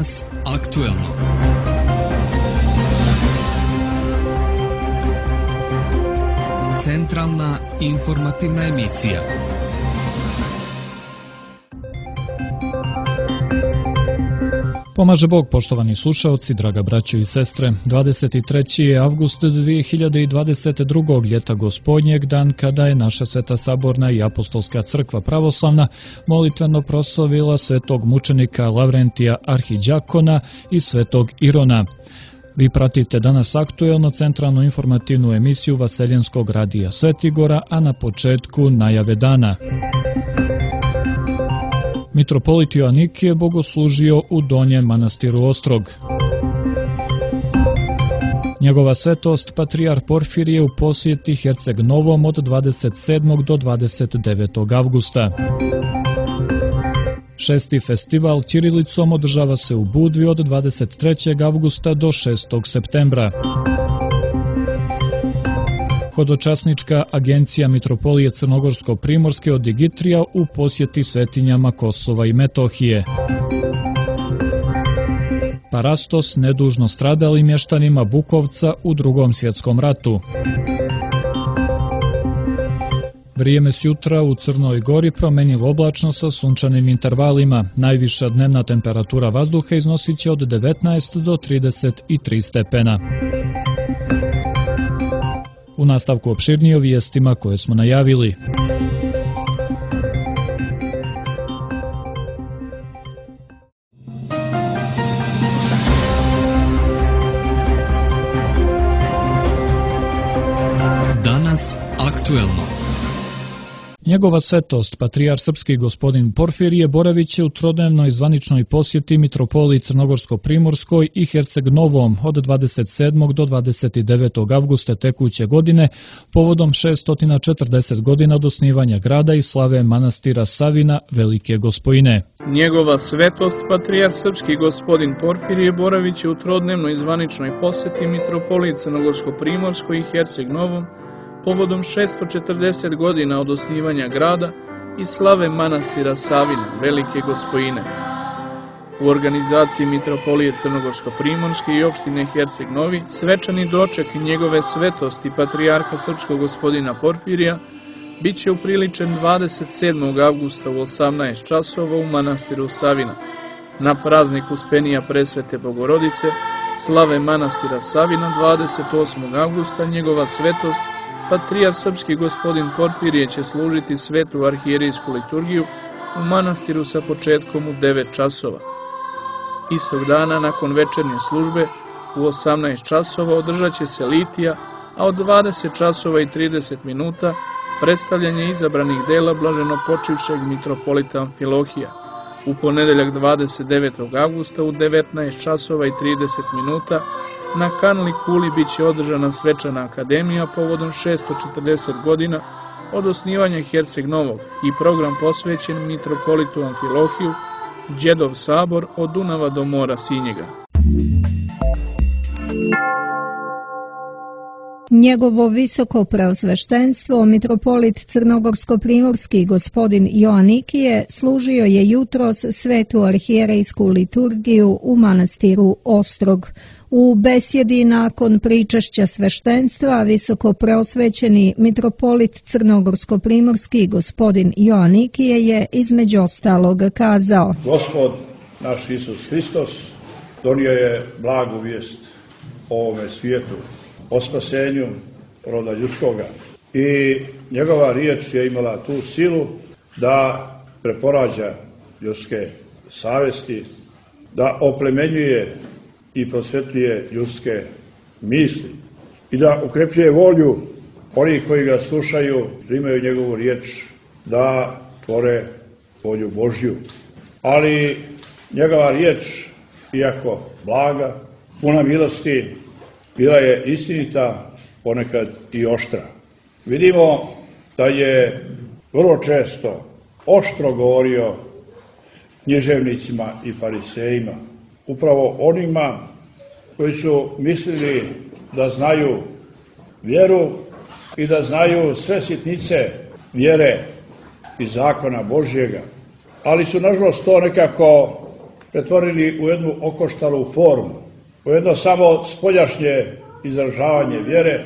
Danas aktuelno. Centralna informativna emisija. Pomaže Bog, poštovani slušaoci, draga braćo i sestre. 23. je avgust 2022. ljeta Gospodnjeg, dan kada je naša Sveta Saborna i Apostolska crkva pravoslavna molitveno proslavila svetog mučenika Lavrentija Arhiđakona i svetog Irona. Vi pratite danas aktuelno centralnu informativnu emisiju Vaseljenskog radija Svetigora, a na početku najave dana. Mitropolit Joanikije bogoslužio u Donjem manastiru Ostrog. Njegova svetost patrijarh Porfirije u posjeti Herceg Novom od 27. do 29. avgusta. 6. festival ćirilicom održava se u Budvi od 23. avgusta do 6. septembra. Hodočasnička agencija Mitropolije Crnogorsko-Primorske od Digitrija u posjeti svetinjama Kosova i Metohije. Parastos nedužno stradali mještanima Bukovca u Drugom svjetskom ratu. Vrijeme s jutra u Crnoj Gori promenjivo oblačno sa sunčanim intervalima. Najviša dnevna temperatura vazduha iznosit će od 19 do 33 stepena. U nastavku opširnije o vijestima koje smo najavili. Danas aktuelno. Njegova svetost, patrijarh srpski gospodin Porfirije, boravit će u trodnevnoj zvaničnoj posjeti Mitropoliji Crnogorsko-Primorskoj i Herceg Novom od 27. do 29. avgusta tekuće godine povodom 640 godina od osnivanja grada i slave manastira Savina Velike Gospojine. Njegova svetost, patrijarh srpski gospodin Porfirije, boravit će u trodnevnoj zvaničnoj posjeti Mitropoliji Crnogorsko-Primorskoj i Herceg Novom povodom 640 godina od osnivanja grada i slave manastira Savina, Velike Gospojine. U organizaciji Mitropolije Crnogorsko-Primorske i opštine Herceg Novi, svečani doček njegove svetosti patrijarha srpskog gospodina Porfirija bit će upriličen 27. avgusta u 18 časova u manastiru Savina. Na praznik Uspenija Presvete Bogorodice, slave manastira Savina 28. avgusta, njegova svetost patrijarh srpski gospodin Porfirije će služiti svetu arhijerijsku liturgiju u manastiru sa početkom u 9 časova. Istog dana, nakon večernje službe, u 18 časova održat će se litija, a od 20 časova i 30 minuta predstavljanje izabranih dela blaženopočivšeg mitropolita Amfilohija. U ponedeljak 29. avgusta u 19 časova i 30 minuta na Kanli Kuli bit će održana svečana akademija povodom 640 godina od osnivanja Herceg Novog i program posvećen mitropolitu Amfilohiju, Đedov sabor od Dunava do mora Sinjega. Njegovo visoko preosveštenstvo, mitropolit Crnogorsko-Primorski gospodin Joanikije, služio je jutros svetu arhijerejsku liturgiju u manastiru Ostrog. U besjedi nakon pričašća sveštenstva visoko preosvećeni mitropolit Crnogorsko-Primorski gospodin Joanikije je između ostalog kazao: Gospod naš Isus Hristos donio je blagu vijest o ovome svijetu, o spasenju roda ljudskoga. I njegova riječ je imala tu silu da preporađa ljudske savesti, da oplemenjuje i prosvetljuje ljudske misli i da ukrepljuje volju onih koji ga slušaju, primaju njegovu riječ, da tvore volju Božju. Ali njegova riječ, iako blaga, puna milosti, bila je istinita, ponekad i oštra. Vidimo da je vrlo često oštro govorio književnicima i farisejima, upravo onima koji su mislili da znaju vjeru i da znaju sve sitnice vjere i zakona Božjega, ali su nažalost to nekako pretvorili u jednu okoštalu formu, u jedno samo spoljašnje izražavanje vjere,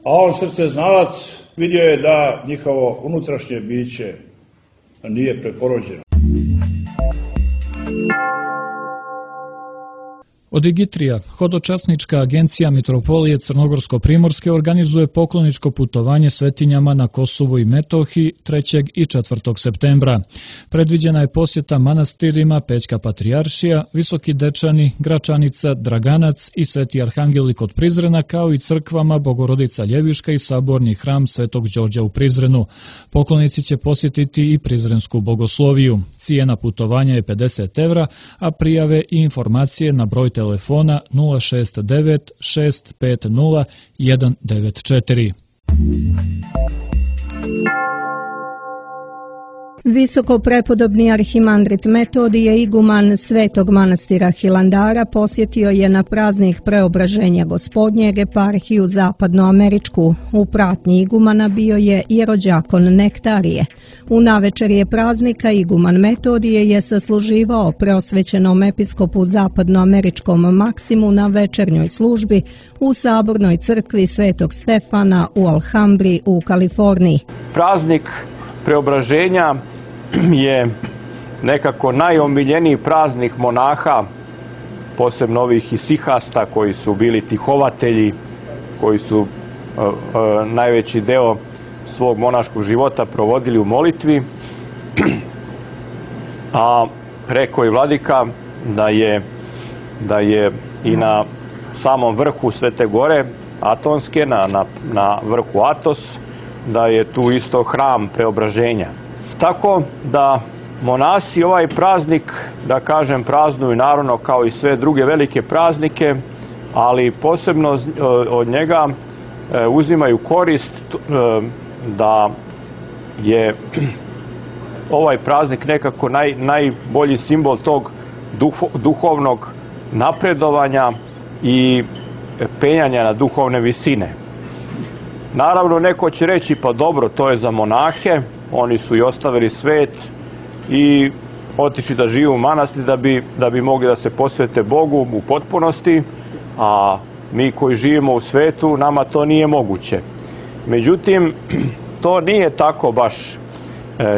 a on srceznalac vidio je da njihovo unutrašnje biće nije preporođeno. Od Igitrija, hodočasnička agencija Mitropolije Crnogorsko-Primorske organizuje pokloničko putovanje svetinjama na Kosovu i Metohiji 3. i 4. septembra. Predviđena je posjeta manastirima Pećka Patrijaršija, Visoki Dečani, Gračanica, Draganac i Sveti Arhangeli kod Prizrena, kao i crkvama Bogorodica Ljeviška i saborni hram Svetog Đorđa u Prizrenu. Poklonici će posjetiti i Prizrensku bogosloviju. Cijena putovanja je 50 evra, a prijave i informacije na broj telefona 069 650 194. Visoko prepodobni arhimandrit Metodije, iguman Svetog manastira Hilandara, posjetio je na praznik Preobraženja Gospodnjeg eparhiju zapadnoameričku. U pratnji igumana bio je i rođakon Nektarije. U navečerje praznika iguman Metodije je sasluživao preosvećenom episkopu zapadnoameričkom Maksimu na večernjoj službi u sabornoj crkvi Svetog Stefana u Alhambri u Kaliforniji. Praznik Preobraženja je nekako najomiljeniji praznik monaha, posebno ovih isihasta koji su bili tihovatelji, koji su najveći deo svog monaškog života provodili u molitvi. A rekao je vladika da je i na samom vrhu Svete gore Atonske, na vrhu Atos, da je tu isto hram Preobraženja. Tako da monasi ovaj praznik, da kažem, praznuju naravno kao i sve druge velike praznike, ali posebno od njega uzimaju korist da je ovaj praznik nekako najbolji simbol tog duhovnog napredovanja i penjanja na duhovne visine. Naravno, neko će reći, pa dobro, to je za monahe, oni su i ostavili svet i otišli da žive u manastir da bi mogli da se posvete Bogu u potpunosti, a mi koji živimo u svetu, nama to nije moguće. Međutim, to nije tako baš.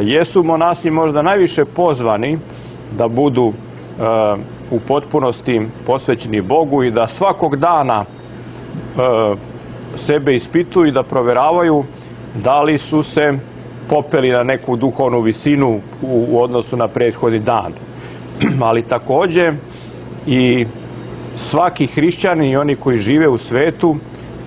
Jesu monasi možda najviše pozvani da budu u potpunosti posvećeni Bogu i da svakog dana sebe ispituju i da proveravaju da li su se popeli na neku duhovnu visinu u odnosu na prethodni dan. Ali takođe i svaki hrišćanin i oni koji žive u svetu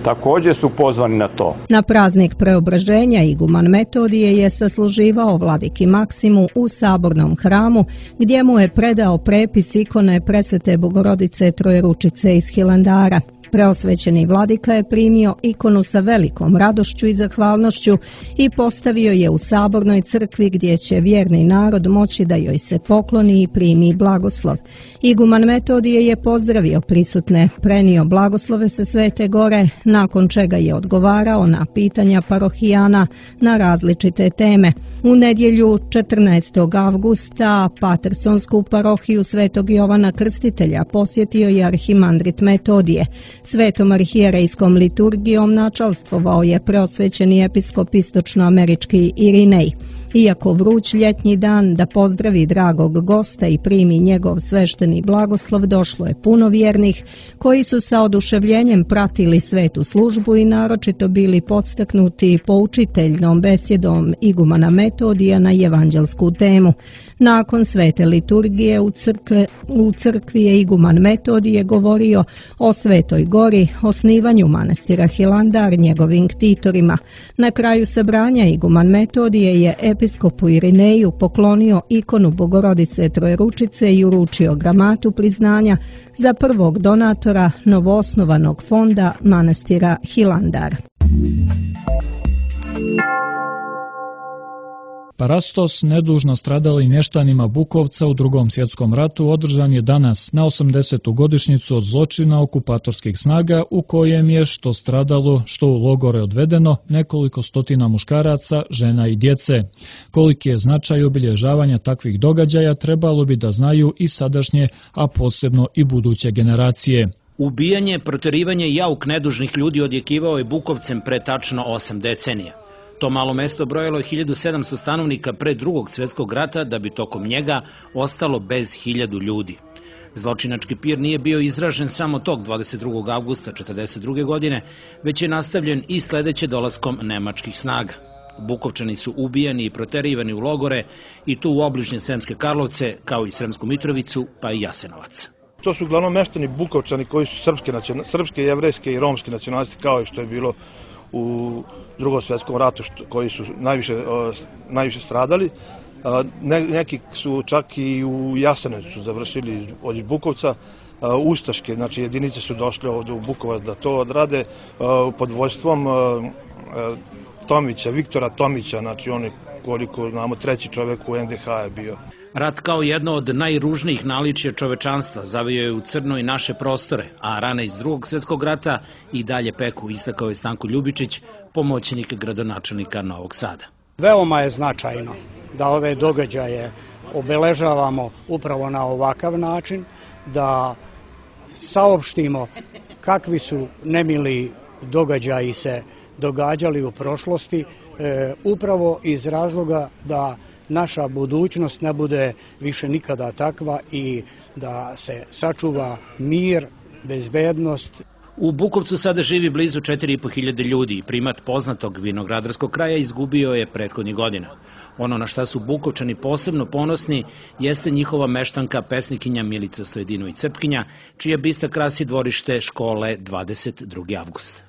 takođe su pozvani na to. Na praznik Preobraženja iguman Metodije je sasluživao vladiki Maksimu u sabornom hramu, gdje mu je predao prepis ikone Presvete Bogorodice Trojeručice iz Hilandara. Preosvećeni vladika je primio ikonu sa velikom radošću i zahvalnošću i postavio je u sabornoj crkvi, gdje će vjerni narod moći da joj se pokloni i primi blagoslov. Iguman Metodije je pozdravio prisutne, prenio blagoslove sa Svete gore, nakon čega je odgovarao na pitanja parohijana na različite teme. U nedjelju 14. avgusta Patersonsku parohiju Svetog Jovana Krstitelja posjetio je arhimandrit Metodije. Svetom arhijerejskom liturgijom načalstvovao je preosvećeni episkop istočnoamerički Irinej. Iako vruć ljetnji dan da pozdravi dragog gosta i primi njegov svešteni blagoslov, došlo je puno vjernih koji su sa oduševljenjem pratili svetu službu i naročito bili podstaknuti poučiteljnom besjedom igumana Metodija na evanđelsku temu. Nakon svete liturgije u crkvi je iguman Metodije govorio o Svetoj gori, osnivanju manastira Hilandar, njegovim ktitorima. Na kraju sabranja iguman Metodije je episkopu Irineju poklonio ikonu Bogorodice Trojeručice i uručio gramatu priznanja za prvog donatora novoosnovanog fonda manastira Hilandar. Parastos, nedužno stradali mještanima Bukovca u Drugom svjetskom ratu, održan je danas na 80. godišnjicu od zločina okupatorskih snaga u kojem je što stradalo, što u logore odvedeno nekoliko stotina muškaraca, žena i djece. Koliki je značaj obilježavanja takvih događaja trebalo bi da znaju i sadašnje, a posebno i buduće generacije. Ubijanje, proterivanje i jauk nedužnih ljudi odjekivao je Bukovcem pre tačno 8 decenija. To malo mesto brojalo je 1700 stanovnika pre Drugog svjetskog rata, da bi tokom njega ostalo bez 1000 ljudi. Zločinački pir nije bio izražen samo tog 22. avgusta 1942. godine, već je nastavljen i sledeće dolaskom nemačkih snaga. Bukovčani su ubijani i proterivani u logore i tu u obližnje Sremske Karlovce, kao i Sremsku Mitrovicu, pa i Jasenovac. To su uglavnom meštani Bukovčani koji su srpske, jevrejske i romske nacionalnosti, kao i što je bilo u Drugom svjetskom ratu, koji su najviše stradali. Neki su čak i u Jasenovcu završili od Bukovca. Ustaške, znači jedinice su došle ovdje u Bukovac da to odrade pod vođstvom Tomića, Viktora Tomića, znači on je, koliko znamo, treći čovjek u NDH je bio. Rat kao jedno od najružnijih naličja čovečanstva zavio je u crno i naše prostore, a rane iz Drugog svjetskog rata i dalje peku, istakao je Stanko Ljubičić, pomoćnik gradonačelnika Novog Sada. Veoma je značajno da ove događaje obeležavamo upravo na ovakav način, da saopštimo kakvi su nemili događaji se događali u prošlosti, upravo iz razloga da naša budućnost ne bude više nikada takva i da se sačuva mir, bezbednost. U Bukovcu sada živi blizu 4500 ljudi i primat poznatog vinogradarskog kraja izgubio je prethodnih godina. Ono na šta su Bukovčani posebno ponosni jeste njihova meštanka, pesnikinja Milica Stojedinović-Crpkinja, čija bista krasi dvorište škole 22. avgust.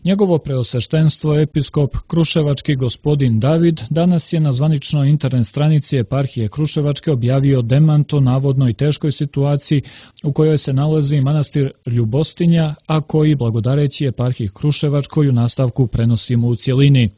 Njegovo preosveštenstvo episkop Kruševački gospodin David danas je na zvaničnoj internet stranici eparhije Kruševačke objavio demant o navodnoj teškoj situaciji u kojoj se nalazi manastir Ljubostinja, a koji blagodareći eparhiji Kruševačkoj u nastavku prenosimo u cjelini.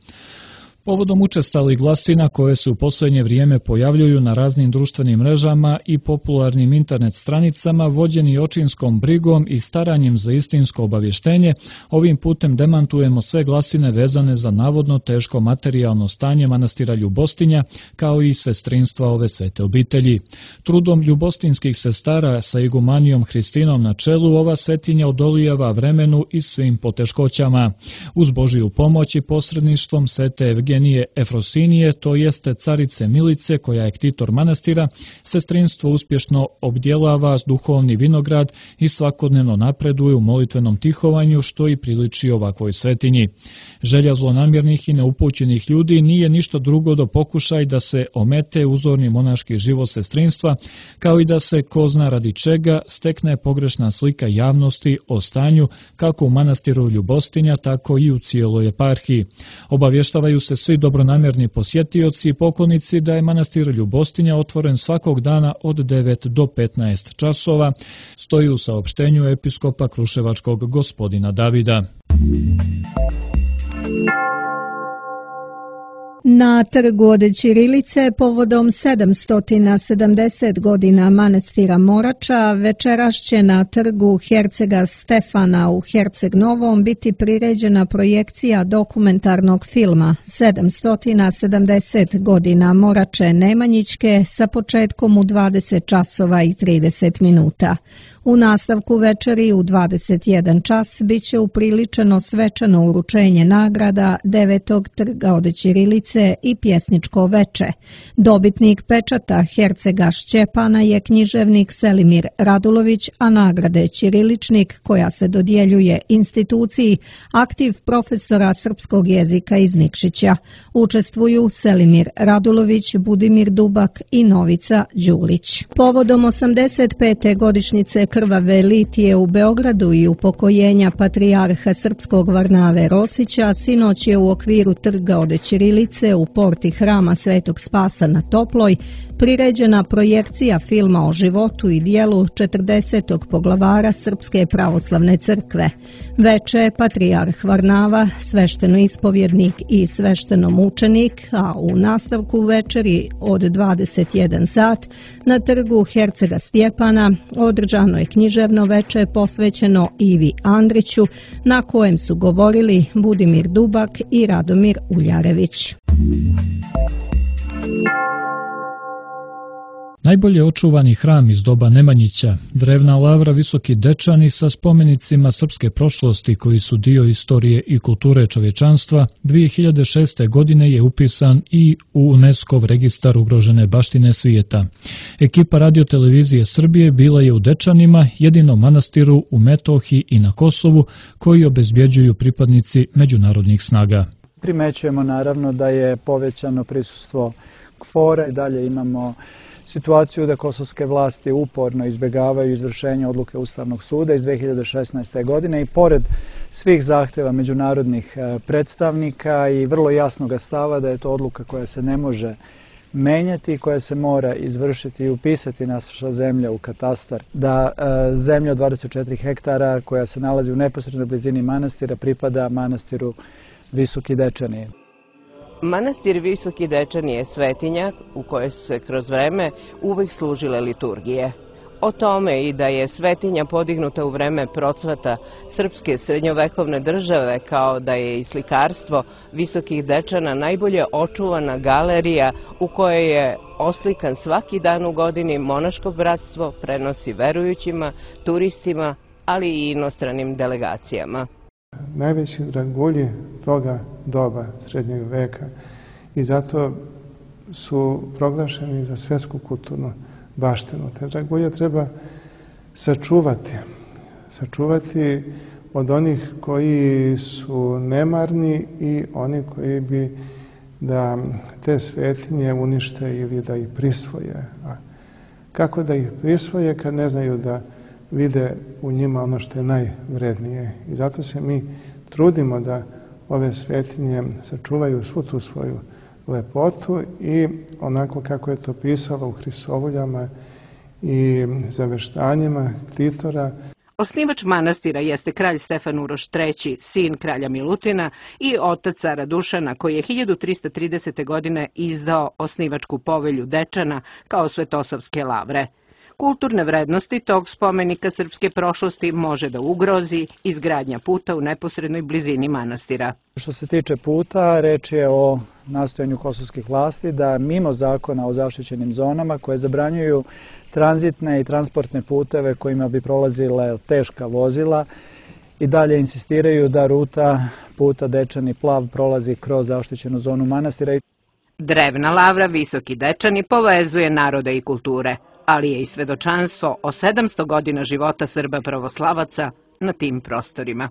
Povodom učestalih glasina koje se u posljednje vrijeme pojavljuju na raznim društvenim mrežama i popularnim internet stranicama, vođeni očinskom brigom i staranjem za istinsko obavještenje, ovim putem demantujemo sve glasine vezane za navodno teško materijalno stanje manastira Ljubostinja, kao i sestrinstva ove svete obitelji. Trudom ljubostinskih sestara sa igumanijom Hristinom na čelu, ova svetinja odolijeva vremenu i svim poteškoćama. Uz Božiju pomoć i posredništvom svete Evgenije Efrosinije, to jeste carice Milice, koja je ktitor manastira, sestrinstvo uspješno obdjelava duhovni vinograd i svakodnevno napreduje u molitvenom tihovanju, što i priliči ovakvoj svetinji. Želja zlonamjernih i neupućenih ljudi nije ništa drugo do pokušaj da se omete uzorni monaški život sestrinstva, kao i da se, ko zna radi čega, stekne pogrešna slika javnosti o stanju kako u manastiru Ljubostinja, tako i u cijeloj eparhiji. Obavještavaju se svi dobronamjerni posjetioci i poklonici da je manastir Ljubostinja otvoren svakog dana od 9 do 15 časova, stoji u saopštenju episkopa Kruševačkog gospodina Davida. Na trgu od ćirilice povodom 770 godina manastira Morača večeras će na trgu hercega Stefana u Herceg Novom biti priređena projekcija dokumentarnog filma 770 godina Morače Nemanjićke sa početkom u 20 časova i 30 minuta. U nastavku večeri u 21 čas biće upriličeno svečano uručenje nagrada 9. trga od ćirilice i pjesničko veče. Dobitnik pečata hercega Šćepana je književnik Selimir Radulović, a nagrade ćiriličnik, koja se dodjeljuje instituciji, aktiv profesora srpskog jezika iz Nikšića. Učestvuju Selimir Radulović, Budimir Dubak i Novica Đulić. Povodom 85. godišnjice krvave litije u Beogradu i upokojenja patrijarha srpskog Varnave Rosića sinoć je u okviru trga od ćirilice u porti hrama Svetog Spasa na Toploj priređena projekcija filma o životu i dijelu 40. poglavara Srpske pravoslavne crkve. Veče patrijarh Varnava, sveštenoispovjednik i sveštenomučenik, a u nastavku večeri od 21 sat na trgu Hercega Stjepana održano je književno veče posvećeno Ivi Andriću, na kojem su govorili Budimir Dubak i Radomir Uljarević. Najbolje očuvani hram iz doba Nemanjića, drevna lavra Visoki Dečani sa spomenicima srpske prošlosti koji su dio istorije i kulture čovječanstva, 2006. godine je upisan i u UNESCO-v registar ugrožene baštine svijeta. Ekipa radiotelevizije Srbije bila je u Dečanima, jedinom manastiru u Metohiji i na Kosovu koji obezbjeđuju pripadnici međunarodnih snaga. Primećujemo naravno da je povećano prisustvo KFOR-a i dalje imamo situaciju da kosovske vlasti uporno izbjegavaju izvršenje odluke Ustavnog suda iz 2016. godine i pored svih zahtjeva međunarodnih predstavnika i vrlo jasnog stava da je to odluka koja se ne može menjati, koja se mora izvršiti i upisati naša zemlja u katastar, da zemlja od 24 hektara koja se nalazi u neposrednoj blizini manastira pripada manastiru Visoki Dečani. Manastir Visoki Dečani je svetinja u kojoj su se kroz vreme uvijek služile liturgije. O tome i da je svetinja podignuta u vreme procvata srpske srednjovekovne države, kao da je i slikarstvo Visokih Dečana najbolje očuvana galerija u kojoj je oslikan svaki dan u godini monaško bratstvo, prenosi verujućima, turistima, ali i inostranim delegacijama. Najveći dragulji toga doba srednjeg veka i zato su proglašeni za svjetsku kulturnu baštinu. Te dragulje treba sačuvati od onih koji su nemarni i oni koji bi da te svetinje unište ili da ih prisvoje. A kako da ih prisvoje kad ne znaju da vide u njima ono što je najvrednije. I zato se mi trudimo da ove svetinje sačuvaju svu tu svoju lepotu i onako kako je to pisalo u Hristovoljama i zaveštanjima ktitora. Osnivač manastira jeste kralj Stefan Uroš III, sin kralja Milutina i otac cara Dušana, koji je 1330. godine izdao osnivačku povelju Dečana kao svetosavske lavre. Kulturne vrednosti tog spomenika srpske prošlosti može da ugrozi izgradnja puta u neposrednoj blizini manastira. Što se tiče puta, reč je o nastojanju kosovskih vlasti da mimo zakona o zaštićenim zonama koje zabranjuju tranzitne i transportne puteve kojima bi prolazile teška vozila i dalje insistiraju da ruta puta Dečani Plav prolazi kroz zaštićenu zonu manastira. Drevna lavra Visoki Dečani povezuje narode i kulture, ali je i svedočanstvo o 700 godina života Srba pravoslavaca na tim prostorima.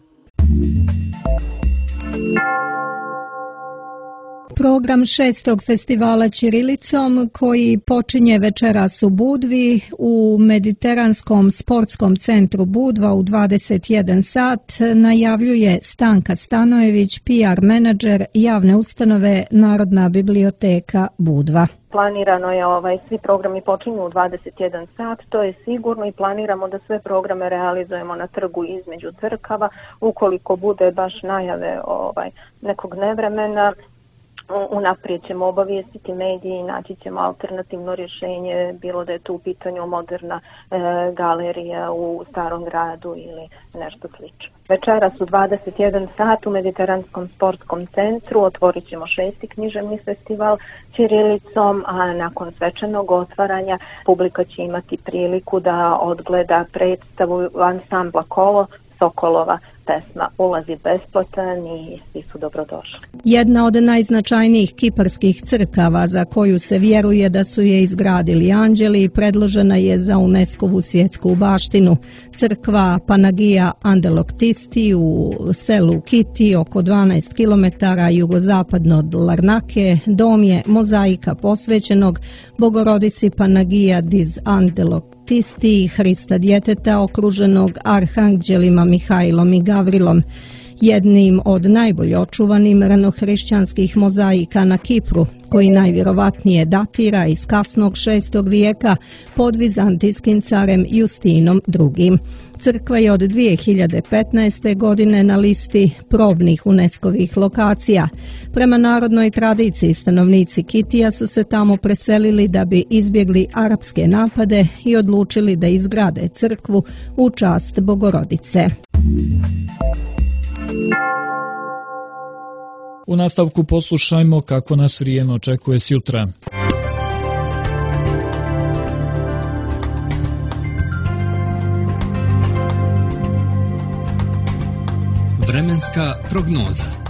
Program 6. festivala ćirilicom koji počinje večeras u Budvi u Mediteranskom sportskom centru Budva u 21 sat najavljuje Stanka Stanojević, PR menadžer javne ustanove Narodna biblioteka Budva. Planirano je svi programi počinju u 21 sat, to je sigurno i planiramo da sve programe realizujemo na trgu između crkava. Ukoliko bude baš najave nekog nevremena, unaprijed ćemo obavijestiti mediji i naći ćemo alternativno rješenje, bilo da je tu u pitanju moderna galerija u Starom gradu ili nešto slično. Večeras u 21 sat u Mediteranskom sportskom centru otvorit ćemo 6. književni festival ćirilicom, a nakon svečanog otvaranja publika će imati priliku da odgleda predstavu ansambla Kolo Sokolova pesma Ulazi besplatan i svi su dobrodošli. Jedna od najznačajnijih kiparskih crkava za koju se vjeruje da su je izgradili anđeli predložena je za UNESCO-vu svjetsku baštinu. Crkva Panagija Andeloktisti u selu Kiti oko 12 km jugozapadno od Larnake dom je mozaika posvećenog Bogorodici Panagija diz Andeloktisti Baptisti i Hrista djeteta okruženog arhanđelima Mihajlom i Gavrilom, jednim od najbolje očuvanim ranohrišćanskih mozaika na Kipru, koji najvjerovatnije datira iz kasnog 6. vijeka pod vizantijskim carem Justinom II. Crkva je od 2015. godine na listi probnih UNESCO-vih lokacija. Prema narodnoj tradiciji stanovnici Kitija su se tamo preselili da bi izbjegli arapske napade i odlučili da izgrade crkvu u čast Bogorodice. U nastavku poslušajmo kako nas vrijeme očekuje sjutra. Vremenska prognoza.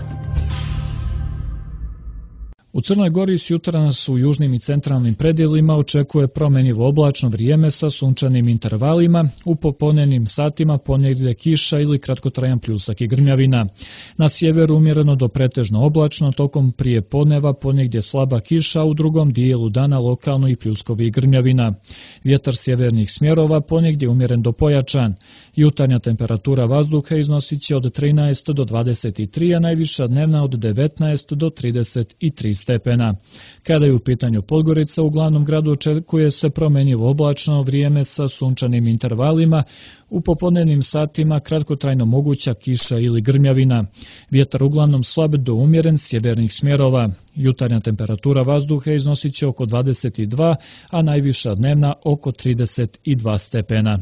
U Crnoj Gori sjutra nas u južnim i centralnim predjelima očekuje promjenjivo oblačno vrijeme sa sunčanim intervalima, u popodnevnim satima ponegdje kiša ili kratkotrajan pljusak i grmljavina. Na sjeveru umjereno do pretežno oblačno, tokom prije podneva ponegdje slaba kiša, u drugom dijelu dana lokalno i pljuskovi i grmljavina. Vjetar sjevernih smjerova ponegdje umjeren do pojačan. Jutarnja temperatura vazduha iznosit će od 13 do 23, a najviša dnevna od 19 do 33 stepena. Kada je u pitanju Podgorica, u glavnom gradu očekuje se promjenjivo oblačno vrijeme sa sunčanim intervalima, u popodnevnim satima kratkotrajno moguća kiša ili grmljavina. Vjetar uglavnom slab do umjeren sjevernih smjerova. Jutarnja temperatura vazduha iznosit će oko 22, a najviša dnevna oko 32 stepena.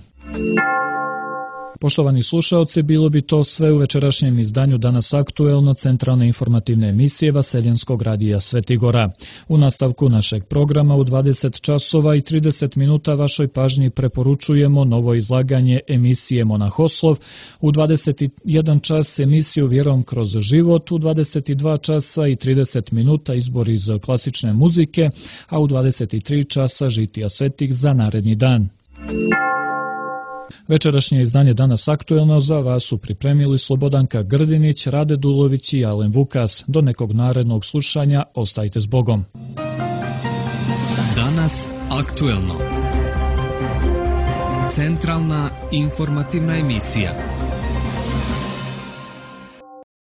Poštovani slušaoci, bilo bi to sve u večerašnjem izdanju Danas aktuelno centralne informativne emisije Vaseljenskog radija Svetigora. U nastavku našeg programa u 20 časova i 30 minuta vašoj pažnji preporučujemo novo izlaganje emisije Monahoslov, u 21 čas emisiju Vjerom kroz život, u 22 časa i 30 minuta izbor iz klasične muzike, a u 23 časa žitija svetih za naredni dan. Večerašnje izdanje Danas aktuelno za vas su pripremili Slobodanka Grdinić, Rade Dulović i Alen Vukas. Do nekog narednog slušanja, ostajte s Bogom. Danas aktuelno. Centralna informativna emisija.